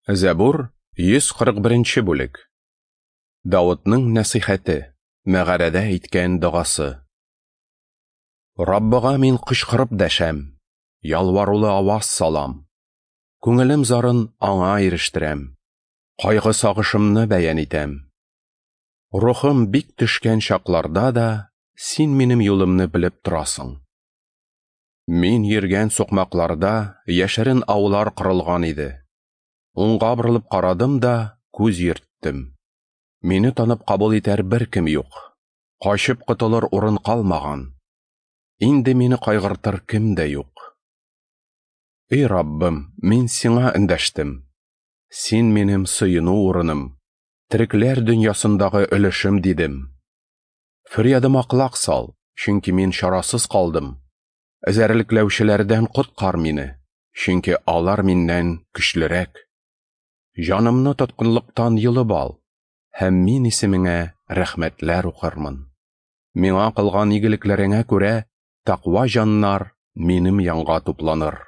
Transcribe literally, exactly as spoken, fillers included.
Зәбур, йөз кырык беренче бүлек. Давытның нәсыйхәте, мәгарәдә әйткән догасы. Раббыга мин кычкырып дәшәм, ялварулы аваз салам. Күңелем зарын аңа ирештерәм, кайгы сагышымны бәян итәм. Рухым бик төшкән чакларда да син минем юлымны белеп торасың. Мин йөргән сукмакларда яшерен аулар корылган иде. Уңга борылып карадым да күз йөрттем. Мине танып кабул итәр беркем юк. Качып котылыр урын калмаган. Инде мине кайгыртыр кем дә юк. Эй Раббым, мин сиңа эндәштем. Син минем сыену урыным, терекләр дөньясындагы өлешем дидем. Фөрьядыма колак сал, чөнки мин чарасыз калдым. Эзәрлекләүчеләрдән коткар мине, чөнки алар миннән көчлерәк. Җанымны тоткынлыктан йолып ал, һәм мин исемеңә рәхмәтләр укырмын. Миңа кылган игелекләреңә күрә тәкъва җаннар минем янга тупланыр.